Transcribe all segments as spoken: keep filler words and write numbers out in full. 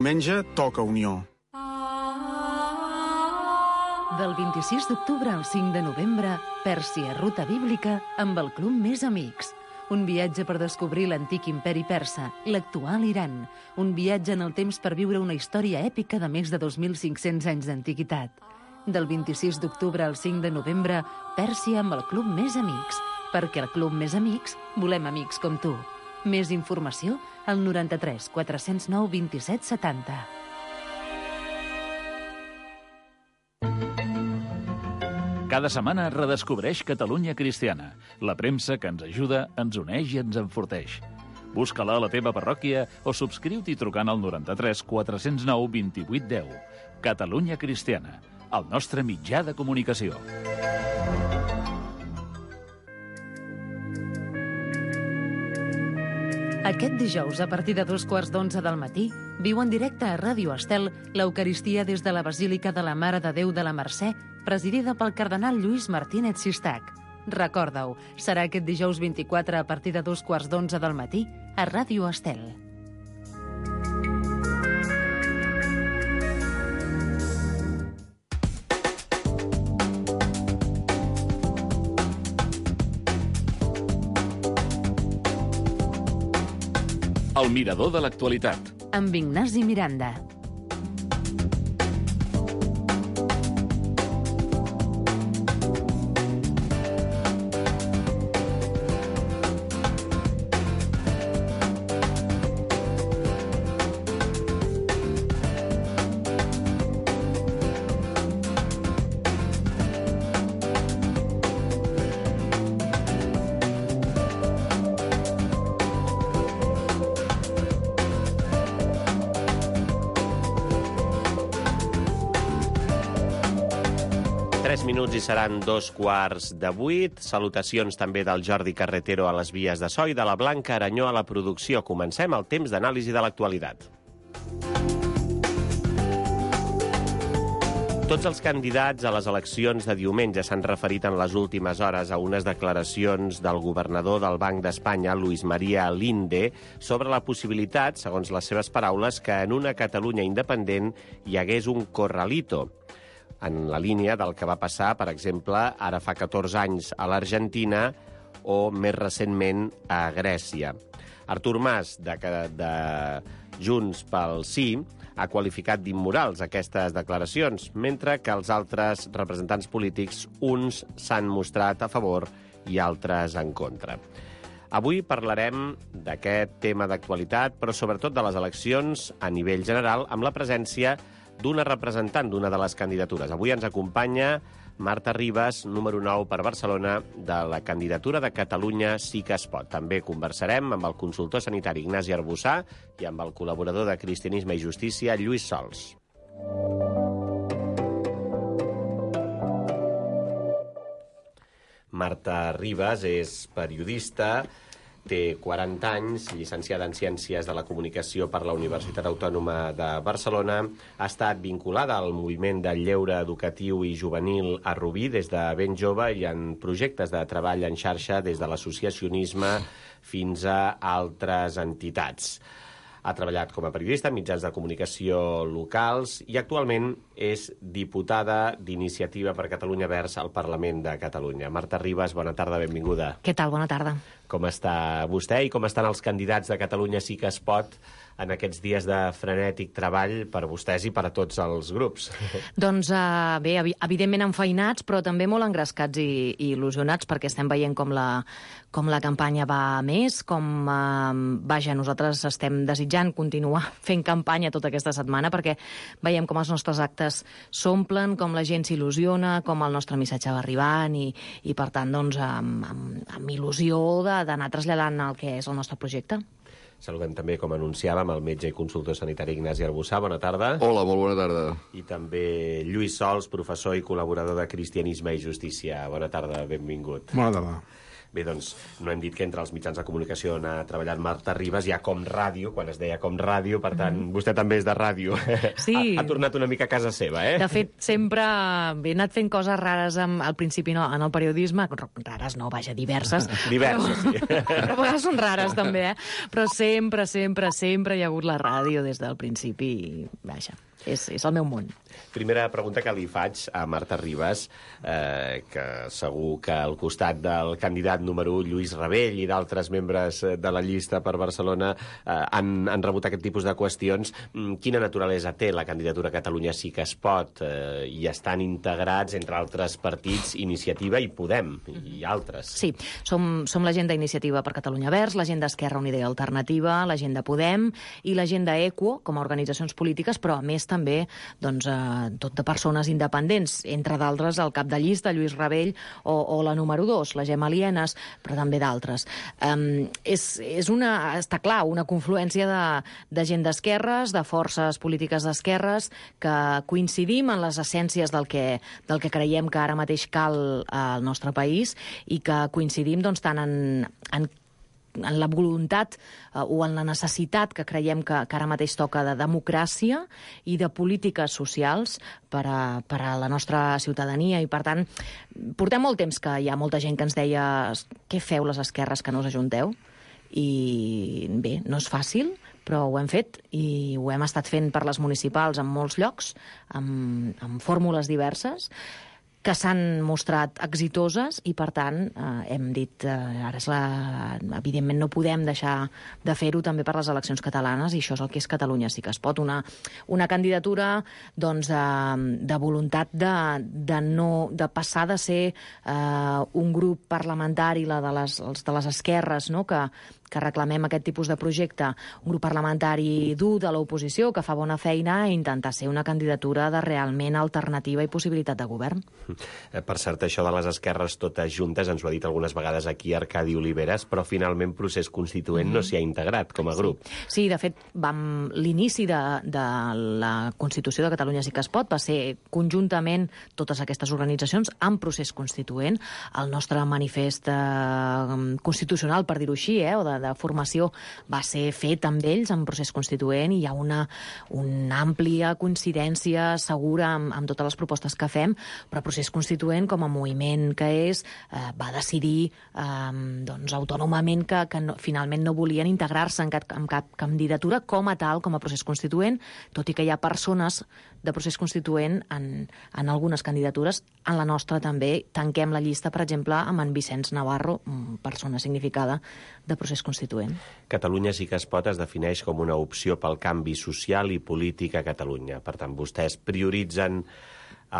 Diumenge toca Unió. Del vint-i-sis d'octubre al cinc de novembre, Pèrsia Ruta Bíblica amb el Club Més Amics. Un viatge per descobrir l'antic imperi persa, l'actual Iran. Un viatge en el temps per viure una història èpica de més de dos mil cinc-cents anys d'antiguitat. Del vint-i-sis d'octubre al cinc de novembre, Pèrsia amb el Club Més Amics. Perquè al Club Més Amics volem amics com tu. Més informació al noranta-tres quatre-cents nou vint-i-set setanta. Cada setmana redescobreix Catalunya Cristiana, la premsa que ens ajuda, ens uneix i ens enforteix. Busca-la a la teva parròquia o subscriu-t'hi trucant al noranta-tres quatre-cents nou vint-i-vuit deu. Catalunya Cristiana, el nostre mitjà de comunicació. Aquest dijous, a partir de dos quarts d'onze del matí, viu en directe a Ràdio Estel l'Eucaristia des de la Basílica de la Mare de Déu de la Mercè, presidida pel cardenal Lluís Martínez Sistac. Recorda-ho, serà aquest dijous vint-i-quatre a partir de dos quarts d'onze del matí a Ràdio Estel. El mirador de l'actualitat. Amb Ignasi Miranda. Tres minuts i seran dos quarts de vuit. Salutacions també del Jordi Carretero a les vies de so i de la Blanca Aranyó a la producció. Comencem el temps d'anàlisi de l'actualitat. Tots els candidats a les eleccions de diumenge s'han referit en les últimes hores a unes declaracions del governador del Banc d'Espanya, Luis María Linde, sobre la possibilitat, segons les seves paraules, que en una Catalunya independent hi hagués un corralito, en la línia del que va passar, per exemple, ara fa catorze anys a l'Argentina o més recentment a Grècia. Artur Mas, de, de Junts pel Sí, ha qualificat d'immorals aquestes declaracions, mentre que els altres representants polítics, uns s'han mostrat a favor i altres en contra. Avui parlarem d'aquest tema d'actualitat, però sobretot de les eleccions a nivell general, amb la presència d'una representant d'una de les candidatures. Avui ens acompanya Marta Ribas, número nou per Barcelona, de la candidatura de Catalunya Sí que es pot. També conversarem amb el consultor sanitari Ignasi Arbussà i amb el col·laborador de Cristianisme i Justícia, Lluís Sols. Marta Ribas és periodista, té quaranta anys, llicenciada en Ciències de la Comunicació per la Universitat Autònoma de Barcelona. Ha estat vinculada al moviment del lleure educatiu i juvenil a Rubí des de ben jove i en projectes de treball en xarxa des de l'associacionisme fins a altres entitats. Ha treballat com a periodista en mitjans de comunicació locals i actualment és diputada d'Iniciativa per Catalunya Verds al Parlament de Catalunya. Marta Ribas, bona tarda, benvinguda. Què tal? Bona tarda. Com està vostè i com estan els candidats de Catalunya Sí que es pot en aquests dies de frenètic treball per vostès i per a tots els grups? Doncs uh, bé, evidentment enfeinats, però també molt engrescats i, i il·lusionats, perquè estem veient com la, com la campanya va a més, com, uh, vaja, nosaltres estem desitjant continuar fent campanya tota aquesta setmana, perquè veiem com els nostres actes s'omplen, com la gent s'il·lusiona, com el nostre missatge va arribant i, i per tant, doncs, amb, amb, amb il·lusió d'anar traslladant el que és el nostre projecte. Saludem també, com anunciàvem, el metge i consultor sanitari Ignasi Arbussà. Bona tarda. Hola, molt bona tarda. I també Lluís Sols, professor i col·laborador de Cristianisme i Justícia. Bona tarda, benvingut. Bona tarda. Bé, doncs, no hem dit que entre els mitjans de comunicació on ha treballat Marta Ribas hi ha Com Ràdio, quan es deia Com Ràdio, per tant, mm. vostè també és de ràdio. Sí. Ha, ha tornat una mica a casa seva, eh? De fet, sempre he anat fent coses rares, amb, al principi no, en el periodisme, rares no, vaja, diverses. Diverses, però, sí. Però a vegades són rares, també, eh? Però sempre, sempre, sempre hi ha hagut la ràdio des del principi, i, vaja, és, és el meu món. Primera pregunta que li faig a Marta Ribas, eh, que segur que al costat del candidat número u, Lluís Rabell, i d'altres membres de la llista per Barcelona eh, han, han rebut aquest tipus de qüestions. Quina naturalesa té la candidatura Catalunya Sí que es pot? Eh, I estan integrats, entre altres partits, Iniciativa i Podem, i altres. Sí, som, som la gent d'Iniciativa per Catalunya Verds, la gent d'Esquerra Unida i Alternativa, la gent de Podem i la gent d'Equo, com a organitzacions polítiques, però a més també doncs, eh, tot de persones independents, entre d'altres el cap de llista, Lluís Rabell, o, o la número dos, la Gemma Lienas, però també d'altres. Um, és, és una, està clar, una confluència de, de gent d'esquerres, de forces polítiques d'esquerres, que coincidim en les essències del que, del que creiem que ara mateix cal al nostre país i que coincidim doncs, tant en, en en la voluntat eh, o en la necessitat que creiem que, que ara mateix toca de democràcia i de polítiques socials per a, per a la nostra ciutadania. I, per tant, portem molt temps que hi ha molta gent que ens deia què feu les esquerres que no us ajunteu? I bé, no és fàcil, però ho hem fet i ho hem estat fent per les municipals en molts llocs, amb, amb fórmules diverses, que s'han mostrat exitoses i, per tant, eh, hem dit, eh, ara és la... evidentment no podem deixar de fer-ho també per les eleccions catalanes, i això és el que és Catalunya Sí que es pot. Una, una candidatura doncs, de, de voluntat de, de, no, de passar de ser eh, un grup parlamentari, la de les, els de les esquerres, no?, que, que reclamem aquest tipus de projecte, un grup parlamentari dur de l'oposició, que fa bona feina, i intentar ser una candidatura de realment alternativa i possibilitat de govern. Per cert, això de les esquerres totes juntes, ens ho ha dit algunes vegades aquí Arcadi Oliveres, però finalment Procés Constituent mm-hmm. no s'hi ha integrat com a grup. Sí, sí, de fet, vam... l'inici de, de la Constitució de Catalunya Sí que es pot va ser conjuntament totes aquestes organitzacions amb Procés Constituent. El nostre manifest eh, constitucional, per dir-ho així, eh, o de de formació va ser fet amb ells en Procés Constituent, i hi ha una, una àmplia coincidència segura amb, amb totes les propostes que fem, però Procés Constituent, com a moviment que és, eh, va decidir eh, doncs, autònomament que, que no, finalment no volien integrar-se en cap, en cap candidatura com a tal, com a Procés Constituent, tot i que hi ha persones de Procés Constituent en, en algunes candidatures. En la nostra també tanquem la llista, per exemple, amb en Vicenç Navarro, persona significada de Procés Constituent. Catalunya Sí que es pot es defineix com una opció pel canvi social i polític a Catalunya. Per tant, vostès prioritzen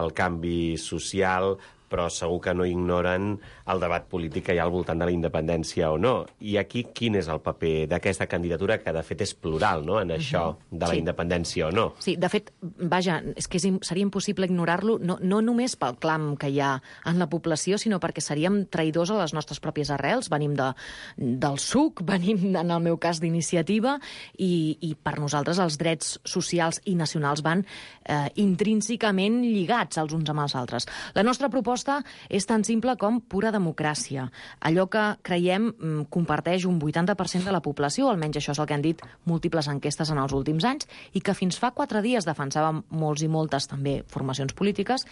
el canvi social, però segur que no ignoren el debat polític que hi ha al voltant de la independència o no. I aquí quin és el paper d'aquesta candidatura, que de fet és plural, no?, en això de la sí. independència o no? Sí, de fet, vaja, és que és, seria impossible ignorar-lo, no, no només pel clam que hi ha en la població, sinó perquè seríem traïdors a les nostres pròpies arrels. Venim de, del S U C, venim, en el meu cas, d'Iniciativa, i, i per nosaltres els drets socials i nacionals van eh, intrínsecament lligats els uns amb els altres. La nostra proposta és tan simple com pura democràcia. Allò que creiem comparteix un vuitanta per cent de la població, almenys això és el que han dit múltiples enquestes en els últims anys, i que fins fa quatre dies defensàvem molts i moltes també formacions polítiques,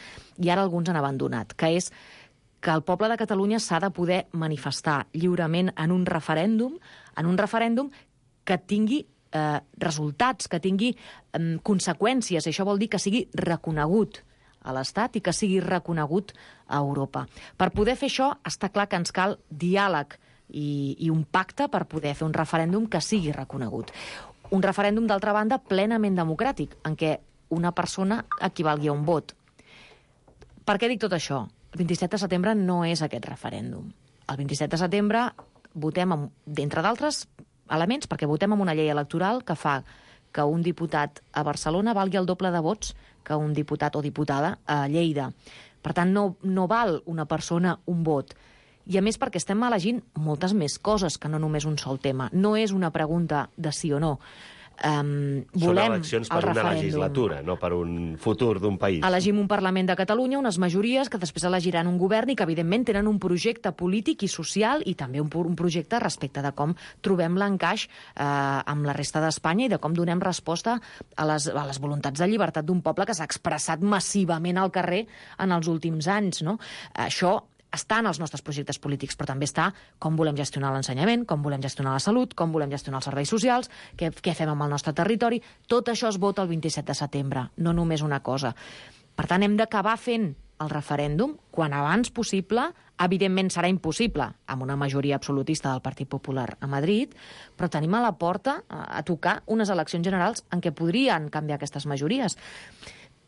i ara alguns han abandonat, que és que el poble de Catalunya s'ha de poder manifestar lliurement en un referèndum, en un referèndum que tingui eh, resultats, que tingui eh, conseqüències. Això vol dir que sigui reconegut a l'Estat i que sigui reconegut a Europa. Per poder fer això, està clar que ens cal diàleg i, i un pacte per poder fer un referèndum que sigui reconegut. Un referèndum, d'altra banda, plenament democràtic, en què una persona equivalgui a un vot. Per què dic tot això? El vint-i-set de setembre no és aquest referèndum. El vint-i-set de setembre votem, amb, d'entre d'altres elements, perquè votem amb una llei electoral que fa que un diputat a Barcelona valgui el doble de vots que un diputat o diputada a Lleida. Per tant, no, no val una persona un vot. I a més perquè estem elegint moltes més coses que no només un sol tema. No és una pregunta de sí o no. Um, Són volem eleccions per el una referèndum. legislatura, no per un futur d'un país. Elegim un Parlament de Catalunya, unes majories que després elegiran un govern i que, evidentment, tenen un projecte polític i social i també un, un projecte respecte de com trobem l'encaix eh, amb la resta d'Espanya i de com donem resposta a les, a les voluntats de llibertat d'un poble que s'ha expressat massivament al carrer en els últims anys, no? Això està en els nostres projectes polítics, però també està com volem gestionar l'ensenyament, com volem gestionar la salut, com volem gestionar els serveis socials, què, què fem amb el nostre territori. Tot això es vota el vint-i-set de setembre, no només una cosa. Per tant, hem d'acabar fent el referèndum quan abans possible. Evidentment serà impossible amb una majoria absolutista del Partit Popular a Madrid, però tenim a la porta a tocar unes eleccions generals en què podrien canviar aquestes majories.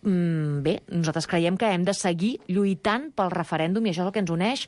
Bé, nosaltres creiem que hem de seguir lluitant pel referèndum i això és el que ens uneix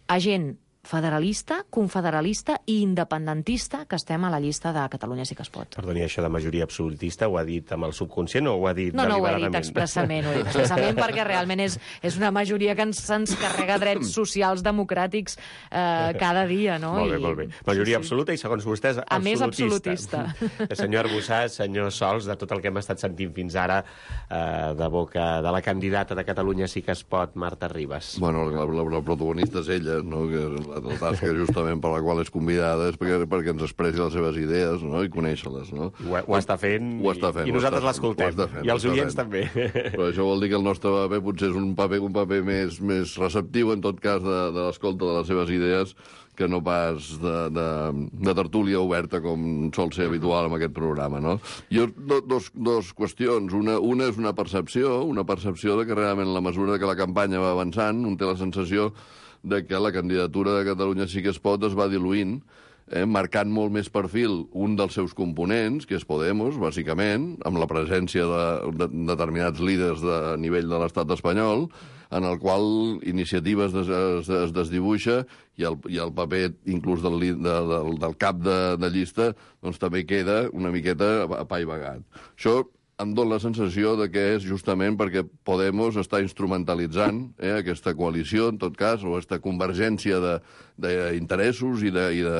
a gent federalista, confederalista i independentista que estem a la llista de Catalunya Sí que es pot. Perdoni, això de majoria absolutista ho ha dit amb el subconscient o ho ha dit no, no, deliberadament? No, ho he dit expressament, ho he dit expressament perquè realment és, és una majoria que ens, ens carrega drets socials democràtics eh, cada dia, no? Molt bé, I, molt bé. Majoria sí, sí. absoluta i, segons vostès, absolutista. A més, absolutista. Senyor Arbussà, senyor Sols, de tot el que hem estat sentint fins ara eh, de boca de la candidata de Catalunya Sí que es pot, Marta Ribas. Bueno, la, la, la protagonista és ella, no? Que la, la tasca justament per la qual és convidada és perquè, perquè ens expressi les seves idees, no? I conèixer-les, no? Ho, ho està fent, ho està fent i nosaltres l'escoltem. I els oients també. Però això vol dir que el nostre paper potser és un paper, un paper més, més receptiu, en tot cas, de, de l'escolta de les seves idees, que no pas de, de, de tertúlia oberta com sol ser habitual en aquest programa, no? Jo, do, dos, dos qüestions. Una, una és una percepció, una percepció de que realment, a la mesura que la campanya va avançant, un té la sensació de que la candidatura de Catalunya Sí que es pot es va diluint, eh, marcant molt més perfil un dels seus components, que és Podemos, bàsicament, amb la presència de, de, de determinats líders de nivell de l'estat espanyol, en el qual iniciatives es, es, es desdibuixa i el, i el paper inclús del, de, del, del cap de, de llista doncs també queda una miqueta apaivagat. Això em dóna la sensació de que és justament perquè Podemos està instrumentalitzant eh, aquesta coalició, en tot cas, o aquesta convergència d'interessos i, de, i, de,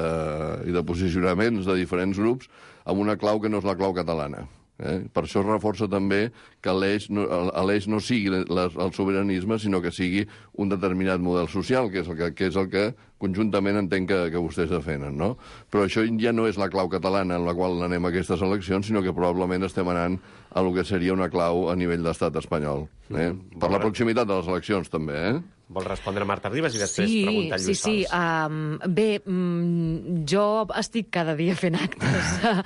i de posicionaments de diferents grups amb una clau que no és la clau catalana. Eh? Per això es reforça també que l'eix no, l'eix no sigui les, el sobiranisme, sinó que sigui un determinat model social, que és el que, que, és el que conjuntament entenc que, que vostès defenen, no? Però això ja no és la clau catalana en la qual anem a aquestes eleccions, sinó que probablement estem anant a lo que seria una clau a nivell d'estat espanyol. Eh? Per la proximitat de les eleccions, també, eh? Vol respondre Marta Ribas i després sí, preguntar Lluís sí, sí. Sols. Um, bé, um, jo estic cada dia fent actes uh,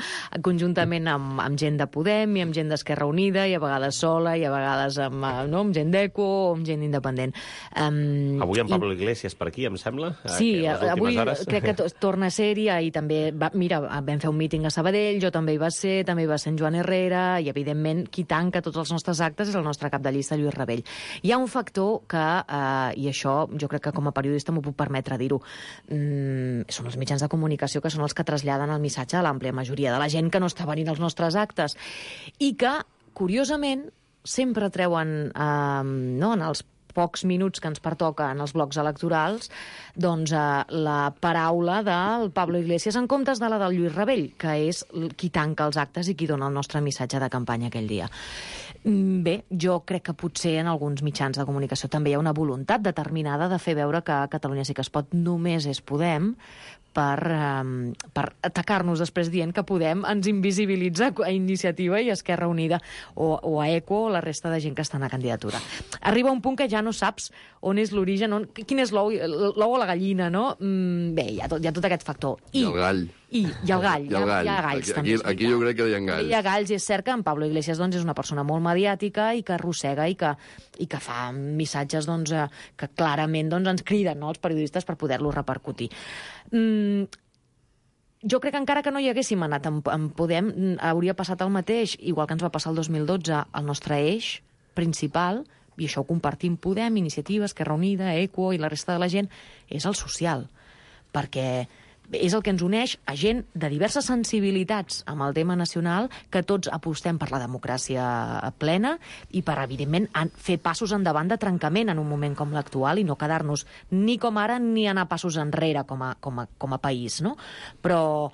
conjuntament amb, amb gent de Podem i amb gent d'Esquerra Unida i a vegades sola i a vegades amb, uh, no, amb gent d'Eco o amb gent independent. Um, Avui en Pablo i... Iglesias per aquí, em sembla? Sí, avui hores. crec que torna a ser-hi i també, va, mira, vam fer un míting a Sabadell, jo també hi va ser, també hi va ser en Joan Herrera i, evidentment, qui tanca tots els nostres actes és el nostre cap de llista, Lluís Rabell. Hi ha un factor que... Uh, i això jo crec que com a periodista m'ho puc permetre dir-ho, mm, són els mitjans de comunicació que són els que traslladen el missatge a l'àmplia majoria de la gent que no està venint als nostres actes i que, curiosament, sempre treuen eh, no, en els pocs minuts que ens pertoca en els blocs electorals, doncs eh, la paraula del Pablo Iglesias en comptes de la del Lluís Rabell, que és qui tanca els actes i qui dona el nostre missatge de campanya aquell dia. Bé, jo crec que potser en alguns mitjans de comunicació també hi ha una voluntat determinada de fer veure que Catalunya Sí que es pot només és Podem, per, um, per atacar-nos després dient que Podem ens invisibilitza a Iniciativa i Esquerra Unida o, o a Eco o la resta de gent que està en la candidatura. Arriba un punt que ja no saps on és l'origen, on, quin és l'ou o la gallina, no? Mm, bé, hi ha, tot, hi ha tot aquest factor. I, I el gall. I, i el gall. I el gall. Hi ha, hi ha galls, aquí, també. Aquí, aquí jo crec que hi ha galls. Hi ha galls, i és cert que en Pablo Iglesias doncs, és una persona molt mediàtica i que arrossega i que, i que fa missatges doncs, que clarament doncs, ens criden, no, els periodistes per poder-los repercutir. Mm, jo crec que encara que no hi haguéssim anat en, en Podem, hauria passat el mateix, igual que ens va passar el dos mil dotze, el nostre eix principal, i això ho compartim Podem, Iniciativa, Esquerra Unida, Eco i la resta de la gent, és el social. Perquè és el que ens uneix a gent de diverses sensibilitats amb el tema nacional, que tots apostem per la democràcia plena i per, evidentment, fer passos endavant de trencament en un moment com l'actual i no quedar-nos ni com ara ni anar passos enrere com a, com a, com a país, no? Però,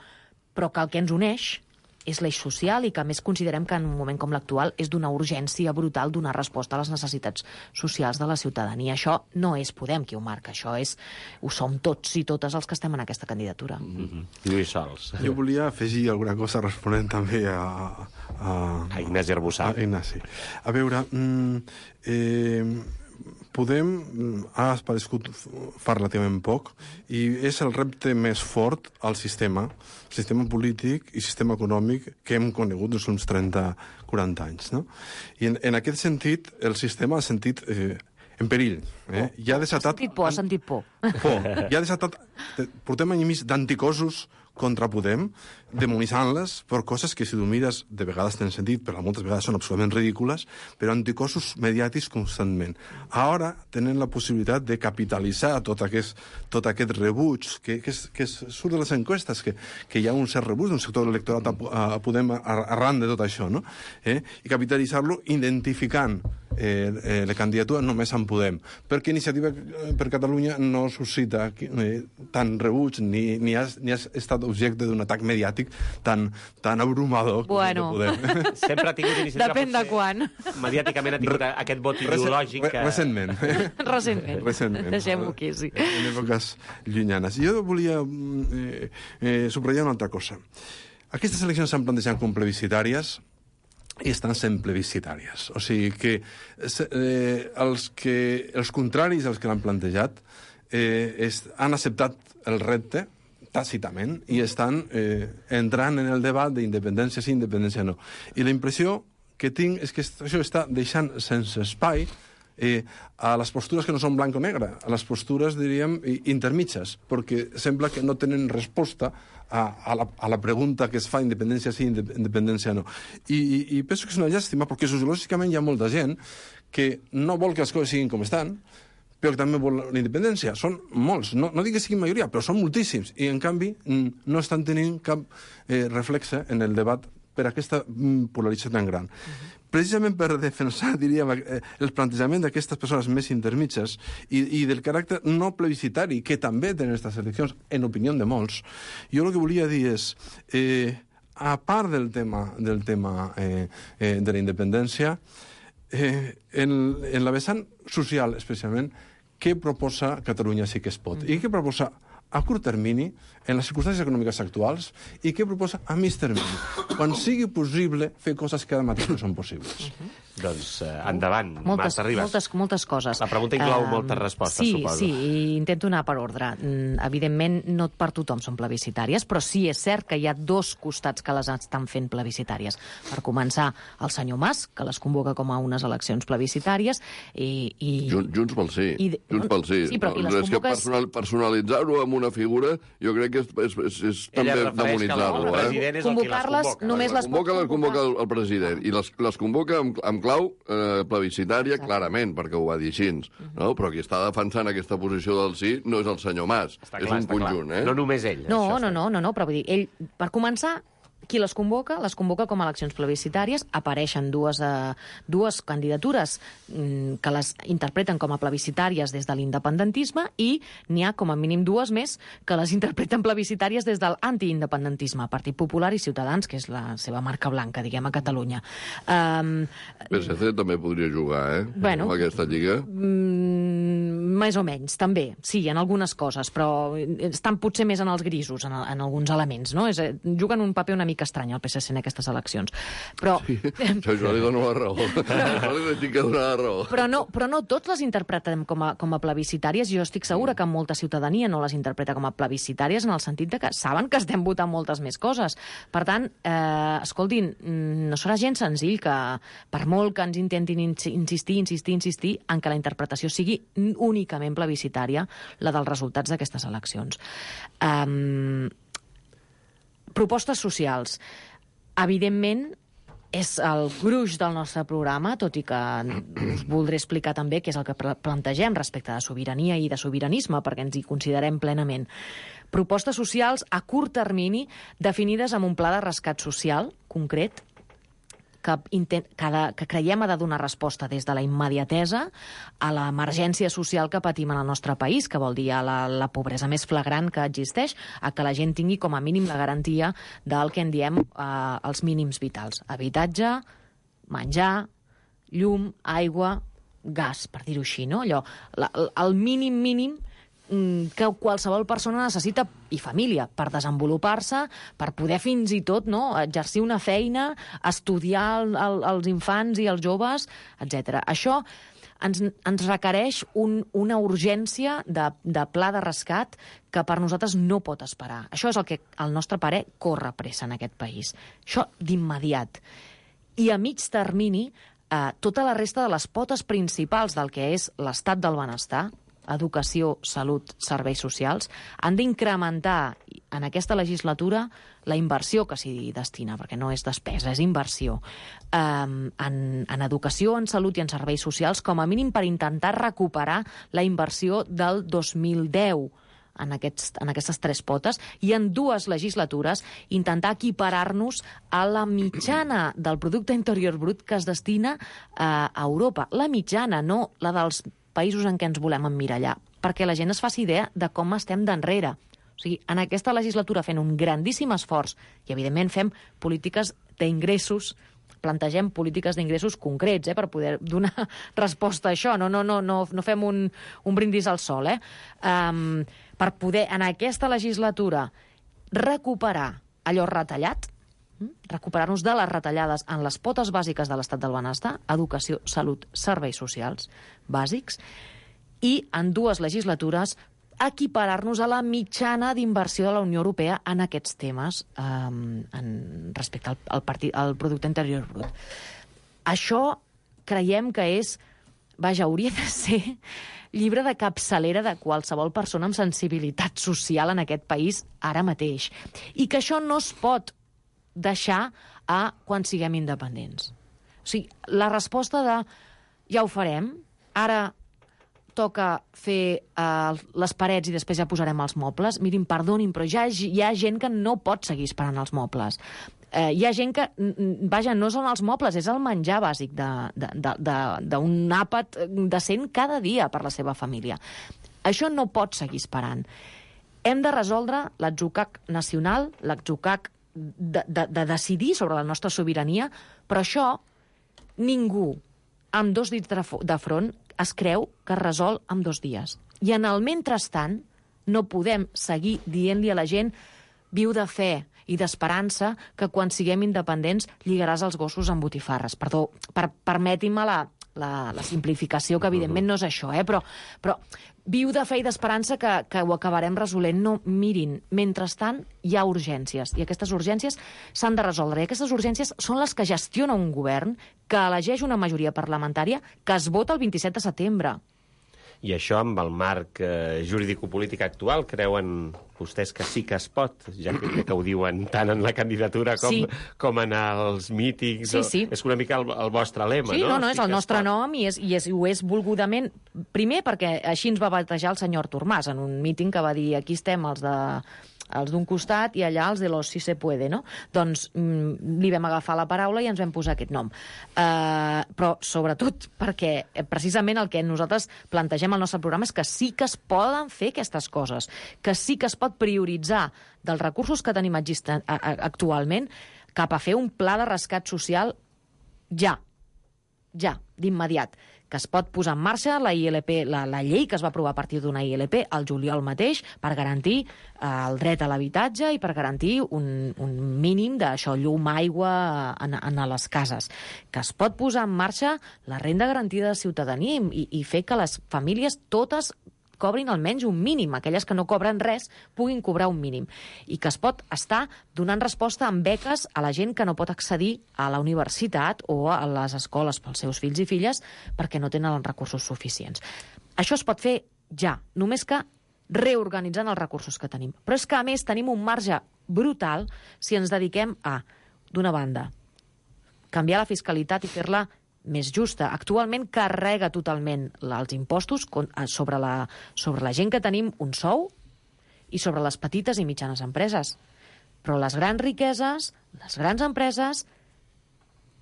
però que el que ens uneix és l'eix social i que, a més, considerem que en un moment com l'actual és d'una urgència brutal donar resposta a les necessitats socials de la ciutadania. Això no és Podem qui ho marca, això és, ho som tots i totes els que estem en aquesta candidatura. Mm-hmm. Lluís Sols. Jo volia afegir alguna cosa responent també a... A, a Ignasi Arbussà. A Ignasi. A veure, mm, eh, Podem ha aparegut fa relativament poc i és el repte més fort al sistema, sistema polític i sistema econòmic que hem conegut dels últims trenta a quaranta anys. No? I en, en aquest sentit, el sistema ha sentit eh, en perill. Eh? Ja ha desatat... Ha sentit por, ha sentit por. Por. Ja ha desatat... Portem any i mig d'anticossos contra Podem, demonitzant-les per coses que, si tu mires, de vegades tenen sentit, però moltes vegades són absolutament ridícules, però anticossos mediàtics constantment. Ara tenen la possibilitat de capitalitzar tot aquest, tot aquest rebuig que, que, es, que es surt de les enquestes, que, que hi ha un cert rebuig d'un sector electorat a, a Podem arran de tot això, no? Eh? I capitalitzar-lo identificant eh, eh, la candidatura només en Podem, perquè Iniciativa per Catalunya no suscita eh, tant rebuig ni, ni, ha, ni ha estat objecte d'un atac mediàtic tan, tan abrumador bueno. com el de Podem. Sempre ha tingut Iniciativa. Depèn de quan. Mediàticament ha tingut aquest vot ideològic. Que... Recentment. Recentment. Recentment. Deixem-ho aquí, sí. En èpoques llunyanes. Jo volia eh, eh, subratllar una altra cosa. Aquestes eleccions s'han plantejat com plebiscitàries i estan sent plebiscitàries. O sigui que, eh, els, que els contraris als que l'han plantejat eh, es, han acceptat el repte tàcitament i estan eh, entrant en el debat d'independència sí, independència no. I la impressió que tinc és que això està deixant sense espai eh, a les postures que no són blanc o negre, a les postures, diríem, intermitges, perquè sembla que no tenen resposta a, a, la, a la pregunta que es fa independència sí, independència no. I, i, i penso que és una llàstima, perquè sociològicament hi ha molta gent que no vol que les coses siguin com estan, però que també vol la independència. Són molts, no, no dic que siguin majoria, però són moltíssims, i en canvi no estan tenint cap eh, reflexe en el debat per aquesta polarització tan gran. Uh-huh. Precisament per defensar, diríem, el plantejament d'aquestes persones més intermitges i, i del caràcter no plebiscitari que també tenen aquestes eleccions, en opinió de molts, jo el que volia dir és, eh, a part del tema, del tema eh, eh, de la independència, eh, en, en la vessant social, especialment, què proposa Catalunya sí que es pot? Mm. I què proposa a curt termini, en les circumstàncies econòmiques actuals, i què proposa a mig termini, quan sigui possible fer coses que ara mateix no són possibles. Uh-huh. Doncs eh, endavant, moltes, Marta Ribas. Moltes, moltes coses. La pregunta inclou uh, moltes respostes, sí, suposo. Sí, i intento anar per ordre. Evidentment, no per tothom són plebiscitàries, però sí és cert que hi ha dos costats que les estan fent plebiscitàries. Per començar, el senyor Mas, que les convoca com a unes eleccions plebiscitàries, i... i Junts, Junts pel sí. I, Junts pel sí. sí però, i les és convoques... que personal, personalitzar-ho amb una figura, jo crec que és, és, és, és també demonitzar-lo. Eh? Convocar-les només les pot convoca, les convoca el, el president, ah. i les, les convoca amb, amb clau eh, plebiscitària, exacte, clarament, perquè ho va dir així. Uh-huh. No? Però qui està defensant aquesta posició del sí no és el senyor Mas, està és clar, un conjunt. Eh? No només ell. No, això, no, no, no, no, però vull dir, ell, per començar, qui les convoca, les convoca com a eleccions plebiscitàries, apareixen dues, eh, dues candidatures mm, que les interpreten com a plebiscitàries des de l'independentisme i n'hi ha com a mínim dues més que les interpreten plebiscitàries des de l'antiindependentisme, Partit Popular i Ciutadans, que és la seva marca blanca, diguem, a Catalunya. Um, P S C també podria jugar, eh? Bueno, amb aquesta lliga. Mm, més o menys, també, sí, en algunes coses, però estan potser més en els grisos, en, en alguns elements, no? És, juguen un paper una mica estrany al P S C en aquestes eleccions. Però... Sí, jo li dono la raó. Jo li dic que donar la raó. Però no, però no tots les interpretem com a, com a plebiscitàries. Jo estic segura que molta ciutadania no les interpreta com a plebiscitàries en el sentit de que saben que estem votant moltes més coses. Per tant, eh, escoltin, no serà gens senzill que, per molt que ens intentin insistir, insistir, insistir, en que la interpretació sigui únicament plebiscitària, la dels resultats d'aquestes eleccions. Um, Propostes socials. Evidentment, és el gruix del nostre programa, tot i que us voldré explicar també què és el que plantegem respecte de sobirania i de sobiranisme, perquè ens hi considerem plenament. Propostes socials a curt termini, definides amb un pla de rescat social concret, que, intent, que, de, que creiem ha de donar resposta des de la immediatesa a l'emergència social que patim en el nostre país, que vol dir a la, la pobresa més flagrant que existeix, a que la gent tingui com a mínim la garantia del que en diem eh, els mínims vitals. Habitatge, menjar, llum, aigua, gas, per dir-ho així, no? Allò, la, el mínim mínim que qualsevol persona necessita, i família, per desenvolupar-se, per poder fins i tot no, exercir una feina, estudiar el, el, els infants i els joves, etcètera. Això ens, ens requereix un, una urgència de, de pla de rescat que per nosaltres no pot esperar. Això és el que, al nostre parer, corre pressa en aquest país. Això d'immediat. I a mig termini, eh, tota la resta de les potes principals del que és l'estat del benestar, educació, salut, serveis socials, han d'incrementar en aquesta legislatura la inversió que s'hi destina, perquè no és despesa, és inversió, um, en, en educació, en salut i en serveis socials, com a mínim per intentar recuperar la inversió del dos mil deu en, aquests, en aquestes tres potes, i en dues legislatures intentar equiparar-nos a la mitjana del producte interior brut que es destina uh, a Europa. La mitjana, no la dels països en què ens volem emmirallar, perquè la gent es faci idea de com estem d'enrere. O sigui, en aquesta legislatura fent un grandíssim esforç, i evidentment fem polítiques d'ingressos, plantegem polítiques d'ingressos concrets, eh, per poder donar resposta a això. No, no, no, no, no fem un, un brindis al sol, eh? Um, per poder, en aquesta legislatura, recuperar allò retallat, recuperar-nos de les retallades en les potes bàsiques de l'estat del benestar, educació, salut, serveis socials bàsics, i en dues legislatures equiparar-nos a la mitjana d'inversió de la Unió Europea en aquests temes eh, en, respecte al, al, partit, al producte interior brut. Això creiem que és, vaja, hauria de ser llibre de capçalera de qualsevol persona amb sensibilitat social en aquest país ara mateix. I que això no es pot deixar a quan siguem independents. O sigui, la resposta de ja ho farem, ara toca fer uh, les parets i després ja posarem els mobles. Mirin, perdonin, però ja hi ha gent que no pot seguir esperant els mobles. Uh, hi ha gent que, vaja, no són els mobles, és el menjar bàsic d'un àpat decent cada dia per la seva família. Això no pot seguir esperant. Hem de resoldre l'atzucac nacional, l'atzucac De, de, de decidir sobre la nostra sobirania, però això ningú amb dos dits de front es creu que es resol en dos dies. I en el mentrestant no podem seguir dient-li a la gent viu de fe i d'esperança que quan siguem independents lligaràs els gossos amb botifarres. Perdó, per, permetin-me la, la, la simplificació, que evidentment no és això, eh? però, però viu de fe i d'esperança que, que ho acabarem resolent. No, mirin, mentrestant hi ha urgències, i aquestes urgències s'han de resoldre. I aquestes urgències són les que gestiona un govern que elegeix una majoria parlamentària que es vota el vint-i-set de setembre. I això, amb el marc eh, jurídico-polític actual, creuen vostès que sí que es pot, ja que, que ho diuen tant en la candidatura com, sí. com en els mítings? Sí, sí. O, és una mica el, el vostre lema, sí, no? no, no, sí és el nostre pot. nom i, és, i, és, i ho és volgudament. Primer, perquè així ens va batejar el senyor Artur Mas en un míting que va dir aquí estem els de els d'un costat i allà els de los si se puede, no? Doncs mm, li vam agafar la paraula i ens vam posar aquest nom. Uh, però sobretot perquè precisament el que nosaltres plantegem al nostre programa és que sí que es poden fer aquestes coses, que sí que es pot prioritzar dels recursos que tenim actualment cap a fer un pla de rescat social ja, ja, d'immediat, que es pot posar en marxa la I L P, la, la llei que es va aprovar a partir d'una I L P al juliol mateix per garantir eh, el dret a l'habitatge i per garantir un, un mínim d'això, llum, aigua en, en les cases. Que es pot posar en marxa la renda garantida de ciutadania i, i fer que les famílies totes cobrin almenys un mínim, aquelles que no cobren res puguin cobrar un mínim, i que es pot estar donant resposta amb beques a la gent que no pot accedir a la universitat o a les escoles pels seus fills i filles perquè no tenen els recursos suficients. Això es pot fer ja, només que reorganitzant els recursos que tenim. Però és que, a més, tenim un marge brutal si ens dediquem a, d'una banda, canviar la fiscalitat i fer-la més justa. Actualment carrega totalment els impostos sobre la, sobre la gent que tenim un sou i sobre les petites i mitjanes empreses. Però les grans riqueses, les grans empreses,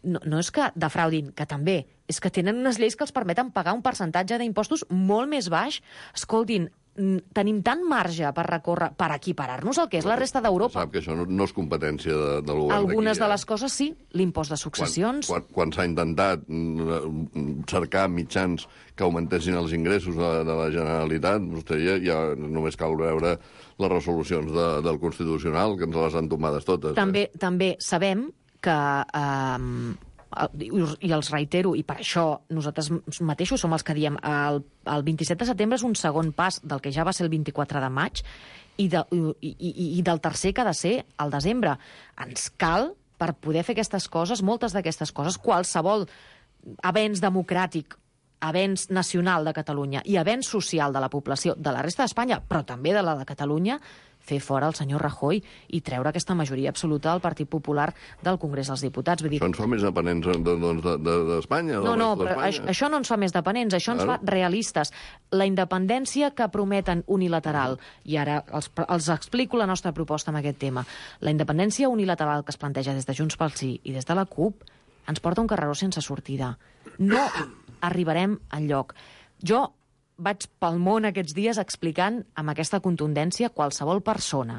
no, no és que defraudin, que també, és que tenen unes lleis que els permeten pagar un percentatge d'impostos molt més baix. Escoltin, tenim tant marge per recórrer, per equiparar-nos al que és la resta d'Europa. Sap que això no, no és competència de, del govern d'aquí. Algunes de les coses sí, l'impost de successions... Quan, quan, quan s'ha intentat cercar mitjans que augmentessin els ingressos de, de la Generalitat, vostè ja, ja només cal veure les resolucions de, del Constitucional, que ens les han tomades totes. També, eh? també sabem que... Eh, i els reitero, i per això nosaltres mateixos som els que diem el, el vint-i-set de setembre és un segon pas del que ja va ser el vint-i-quatre de maig i, de, i, i, i del tercer que ha de ser el desembre. Ens cal, per poder fer aquestes coses, moltes d'aquestes coses, qualsevol avenç democràtic, avenç nacional de Catalunya i avenç social de la població de la resta d'Espanya, però també de la de Catalunya, fer fora el senyor Rajoy i treure aquesta majoria absoluta del Partit Popular del Congrés dels Diputats. Vull dir... Això ens fa més dependents d'Espanya? No, no, però això, això no ens fa més dependents, això ens fa realistes. La independència que prometen unilateral, i ara els, els explico la nostra proposta en aquest tema, la independència unilateral que es planteja des de Junts pel Sí i des de la CUP ens porta un carreró sense sortida. No arribarem enlloc. Jo vaig pel món aquests dies explicant amb aquesta contundència qualsevol persona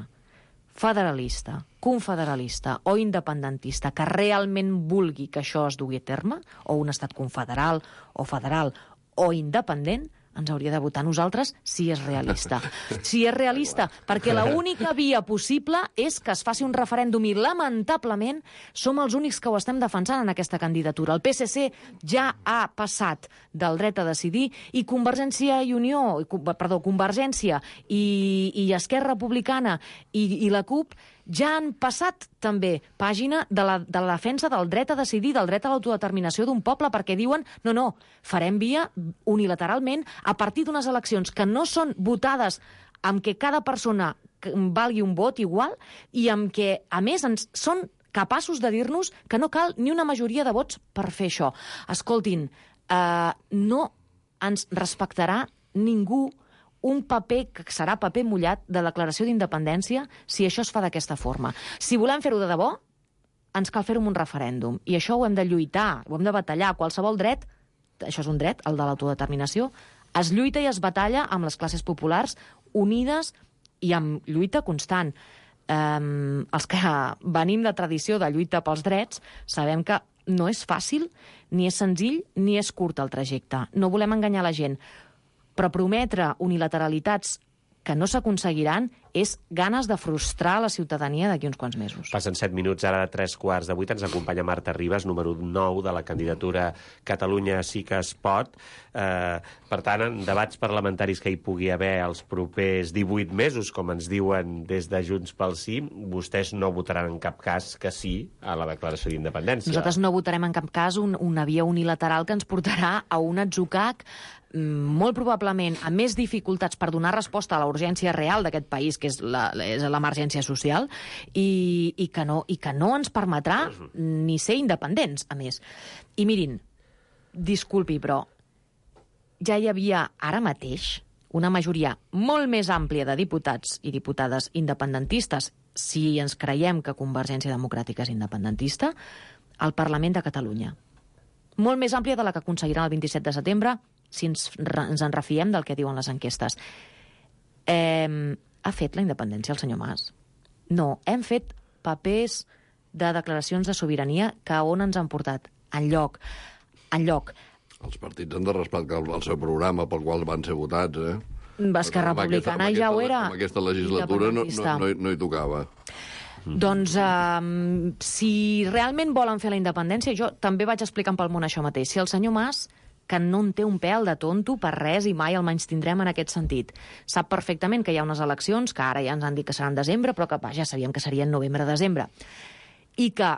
federalista, confederalista o independentista que realment vulgui que això es dugui a terme, o un estat confederal o federal o independent, ens hauria de votar nosaltres si és realista. Si és realista, perquè l'única via possible és que es faci un referèndum i, lamentablement, som els únics que ho estem defensant en aquesta candidatura. El P S C ja ha passat del dret a decidir i Convergència i Unió, perdó, Convergència i, i Esquerra Republicana i, i la CUP ja han passat també pàgina de la, de la defensa del dret a decidir, del dret a l'autodeterminació d'un poble, perquè diuen, no, no, farem via unilateralment a partir d'unes eleccions que no són votades amb què cada persona valgui un vot igual i amb què, a més, ens són capaços de dir-nos que no cal ni una majoria de vots per fer això. Escoltin, eh, no ens respectarà ningú un paper que serà paper mullat de declaració d'independència si això es fa d'aquesta forma. Si volem fer-ho de debò, ens cal fer-ho amb un referèndum. I això ho hem de lluitar, ho hem de batallar. Qualsevol dret, això és un dret, el de l'autodeterminació, es lluita i es batalla amb les classes populars unides i amb lluita constant. Um, els que venim de tradició de lluita pels drets sabem que no és fàcil, ni és senzill, ni és curt el trajecte. No volem enganyar la gent. Però prometre unilateralitats que no s'aconseguiran és ganes de frustrar la ciutadania d'aquí uns quants mesos. Passen set minuts, ara tres quarts de vuit. Ens acompanya Marta Ribas, número nou de la candidatura Catalunya sí que es pot. Eh, per tant, en debats parlamentaris que hi pugui haver els propers divuit mesos, com ens diuen des de Junts pel Sí, vostès no votaran en cap cas que sí a la declaració d'independència. Nosaltres no votarem en cap cas un, una via unilateral que ens portarà a un atzucac molt probablement amb més dificultats per donar resposta a la urgència real d'aquest país, que és la, és l'emergència social, i, i, que no, i que no ens permetrà ni ser independents, a més. I mirin, disculpi, però ja hi havia ara mateix una majoria molt més àmplia de diputats i diputades independentistes, si ens creiem que Convergència Democràtica és independentista, al Parlament de Catalunya. Molt més àmplia de la que aconseguiran el vint-i-set de setembre, si ens, ens en refiem del que diuen les enquestes. Eh, ha fet la independència el senyor Mas? No, hem fet papers de declaracions de sobirania que on ens han portat? Enlloc. Enlloc. Els partits han de respectar el seu programa pel qual van ser votats, eh? Esquerra Republicana aquesta, ja ho era. Amb aquesta legislatura no, no, no, no hi tocava. Mm. Doncs um, si realment volen fer la independència, jo també vaig explicant pel món això mateix. Si el senyor Mas, que no en té un pèl de tonto per res i mai el menystindrem en aquest sentit, sap perfectament que hi ha unes eleccions, que ara ja ens han dit que seran desembre, però que va, ja sabíem que serien novembre-desembre, i que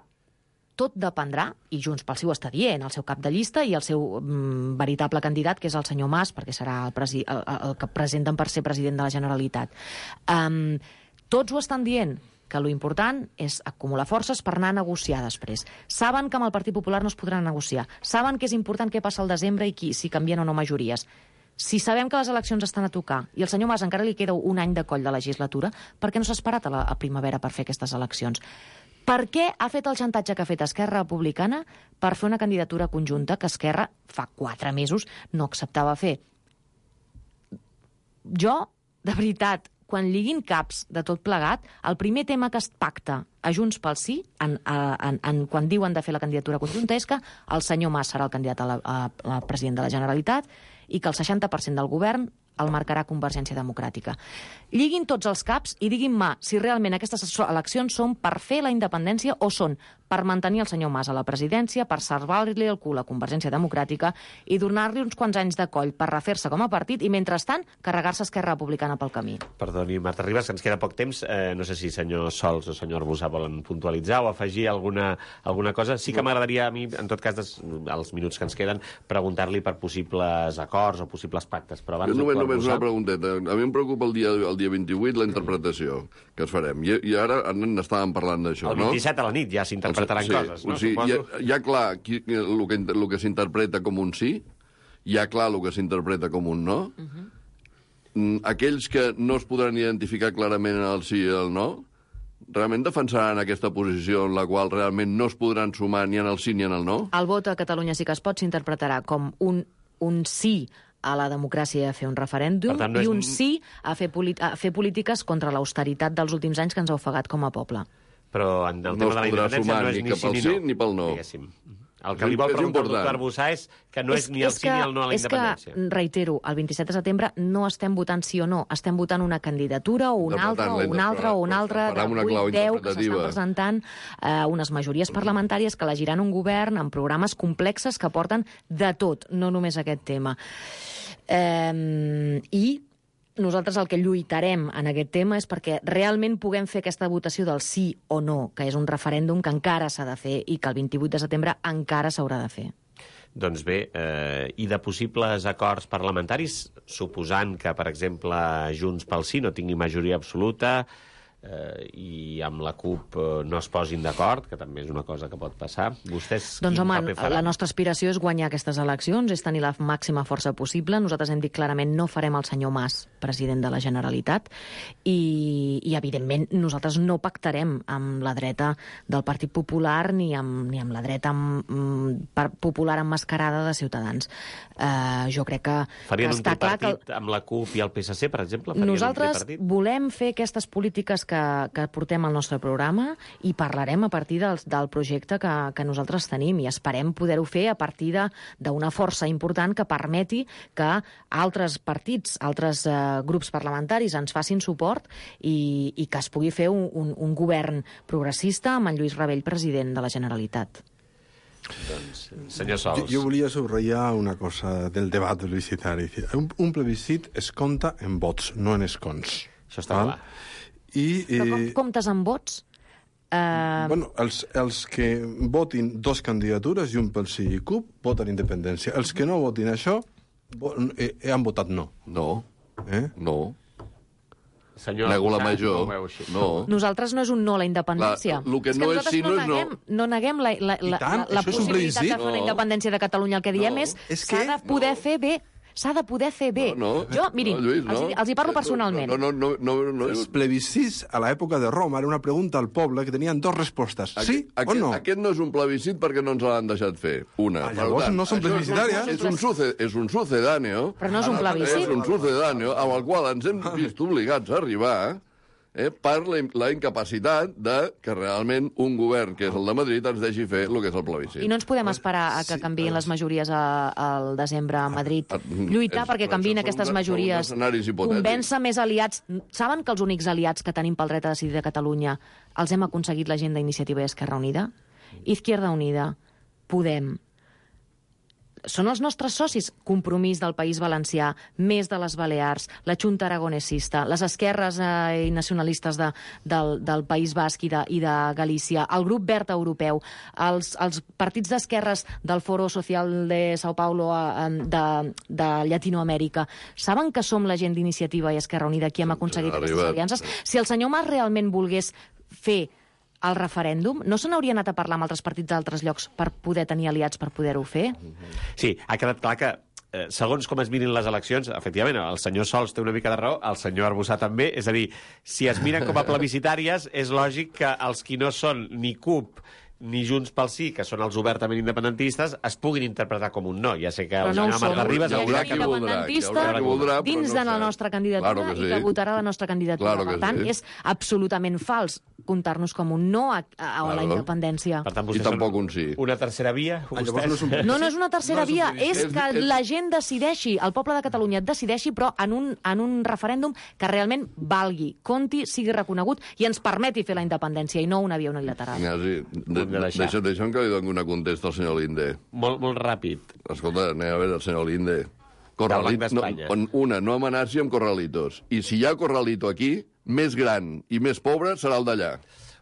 tot dependrà, i Junts pel Sí ho està dient, el seu cap de llista i el seu mm, veritable candidat, que és el senyor Mas, perquè serà el, presi el, el que presenten per ser president de la Generalitat. Um, tots ho estan dient, que l'important és acumular forces per anar a negociar després. Saben que amb el Partit Popular no es podrà negociar. Saben que és important què passa al desembre i qui, si canvien o no majories. Si sabem que les eleccions estan a tocar i al senyor Mas encara li queda un any de coll de legislatura, per què no s'ha esperat a la a primavera per fer aquestes eleccions? Per què ha fet el xantatge que ha fet Esquerra Republicana per fer una candidatura conjunta que Esquerra fa quatre mesos no acceptava fer? Jo, de veritat, quan lliguin caps de tot plegat, el primer tema que es pacta a Junts pel Sí, en, en, en, quan diuen de fer la candidatura conjunta, és que el senyor Mas serà el candidat a, la, a, a president de la Generalitat i que el seixanta per cent del govern el marcarà Convergència Democràtica. Lliguin tots els caps i diguin-me si realment aquestes eleccions són per fer la independència o són per mantenir el senyor Mas a la presidència, per salvar-li el cul a Convergència Democràtica i donar-li uns quants anys de coll per refer-se com a partit i, mentrestant, carregar-se Esquerra Republicana pel camí. Perdoni, Marta Ribas, que ens queda poc temps. Eh, no sé si senyor Sols o senyor Arbusà volen puntualitzar o afegir alguna, alguna cosa. Sí que m'agradaria a mi, en tot cas, des, els minuts que ens queden, preguntar-li per possibles acords o possibles pactes. Però abans, només, només una pregunteta. A mi em preocupa el dia, el dia vint-i-vuit la interpretació que es farem. I, i ara n'estàvem parlant d'això, no? El vint-i-set a la nit ja s'interpretaran sí, coses, no? O sigui, hi, ha, hi ha clar qui, el, que, el que s'interpreta com un sí, hi ha clar el que s'interpreta com un no. Uh-huh. Aquells que no es podran identificar clarament en el sí i el no, realment defensaran aquesta posició en la qual realment no es podran sumar ni en el sí ni en el no? El vot a Catalunya Sí que es pot s'interpretarà com un, un sí a la democràcia a fer un referèndum tant, no és... i un sí a fer, a fer polítiques contra l'austeritat dels últims anys que ens ha ofegat com a poble. Però en el no tema de la independència no és ni, ni sí ni no. Sí, ni pel no. Diguéssim. El que li vol preguntar el doctor Arbusà és que no és, és ni el sí que, ni el no a la independència. És que, reitero, el vint-i-set de setembre no estem votant sí o no, estem votant una candidatura o una altra, o una altra, o una altra, de vuit, deu que s'estan presentant eh, unes majories parlamentàries que elegiran un govern amb programes complexes que porten de tot, no només aquest tema. Eh, I nosaltres el que lluitarem en aquest tema és perquè realment puguem fer aquesta votació del sí o no, que és un referèndum que encara s'ha de fer i que el vint-i-vuit de setembre encara s'haurà de fer. Doncs bé, eh, i de possibles acords parlamentaris, suposant que, per exemple, Junts pel Sí no tingui majoria absoluta eh, i amb la CUP eh, no es posin d'acord, que també és una cosa que pot passar, vostès doncs, quin home, paper faran? La nostra aspiració és guanyar aquestes eleccions, és tenir la màxima força possible. Nosaltres hem dit clarament no farem el senyor Mas president de la Generalitat i, i evidentment, nosaltres no pactarem amb la dreta del Partit Popular ni amb, ni amb la dreta amb, amb, popular emmascarada de Ciutadans. Uh, jo crec que, Farien que està clar que... Farien un tripartit amb la CUP i el P S C, per exemple? Farien nosaltres volem fer aquestes polítiques que, que portem al nostre programa i parlarem a partir del, del projecte que, que nosaltres tenim i esperem poder-ho fer a partir d'una força important que permeti que altres partits, altres eh, grups parlamentaris ens facin suport i, i que es pugui fer un, un, un govern progressista amb en Lluís Rabell president de la Generalitat. Doncs, senyor Sols. Jo, jo volia subratllar una cosa del debat publicitari. Un, un plebiscit es compta en vots, no en escons. Això està clar. I, Però com eh, comptes amb vots? Uh... Bueno, els, els que votin dos candidatures, Junts pel Sí i CUP, voten independència. Els que no votin això, vo eh, han votat no. No. Eh? No. Senyor, Nego la no major. No. Nosaltres no és un no a la independència. Clar, el que no és sí no és no. No neguem la, la, la, tant, la, la possibilitat de fer no. la independència de Catalunya. El que diem no. és és s'ha que... de poder no. fer bé. S'ha de poder fer bé. No, no. Jo, mirin, no, Lluís, no. els, els hi parlo personalment. No, no, no, no, no, no. Els plebiscits a l'època de Roma era una pregunta al poble que tenien dues respostes. Sí aquest, o no? Aquest no és un plebiscit perquè no ens l'han deixat fer. Una. Ah, llavors tant, no són plebiscitàries? És un, suce, és un sucedáneo. Però no és un plebiscit. És un sucedáneo amb el qual ens hem vist obligats a arribar eh, per la, la incapacitat de que realment un govern, que és el de Madrid, ens deixi fer el que és el plebiscit. I no ens podem esperar a que Sí, canviïn les majories a, al desembre a Madrid. Ah, Lluitar és- perquè però canviïn això són aquestes de- són majories. escenaris hipotètics. Convèncer més aliats. Saben que els únics aliats que tenim pel dret a decidir de Catalunya els hem aconseguit la gent d'Iniciativa i Esquerra Unida? Izquierda Unida, Podem. Són els nostres socis. Compromís del País Valencià, Més de les Balears, la Junta Aragonesista, les esquerres eh, i nacionalistes de, del, del País Basc i de, i de Galícia, el Grup Verd Europeu, els, els partits d'esquerres del Foro Social de Sao Paulo eh, de, de Llatinoamèrica. Saben que som la gent d'Iniciativa i Esquerra Unida qui hem aconseguit aquestes arribat. aliances? Si el senyor Mas realment volgués fer el referèndum, no se n'hauria anat a parlar amb altres partits d'altres llocs per poder tenir aliats per poder-ho fer? Sí, ha quedat clar que eh, segons com es mirin les eleccions, efectivament, el senyor Sols té una mica de raó, el senyor Arbussà també, és a dir, si es miren com a plebiscitàries, és lògic que els qui no són ni C U P ni Junts pel Sí, que són els obertament independentistes, es puguin interpretar com un no. Ja sé que el senyor Marta Ribas... Hi ha gent independentista dins de la nostra candidatura i que votarà la nostra candidatura. Per tant, és absolutament fals comptar-nos com un no a, a, a la independència. Per tant, I tampoc un sí. Una tercera via? No, no és una tercera via, és que la gent decideixi, el poble de Catalunya decideixi, però en un, en un referèndum que realment valgui, compti, sigui reconegut i ens permeti fer la independència i no una via unilateral. Ignasi, de, de deixa'm, deixa'm que li doni una contesta al senyor Linde. Molt, molt ràpid. Escolta, anem a veure el senyor Linde. Corralit, no, una, no amenaci amb corralitos. I si hi ha corralito aquí, més gran i més pobre serà el d'allà.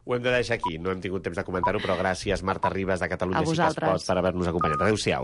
Ho hem de deixar aquí. No hem tingut temps de comentar-ho, però gràcies, Marta Ribas, de Catalunya Sí que es pot, per haver-nos acompanyat. Adéu-siau.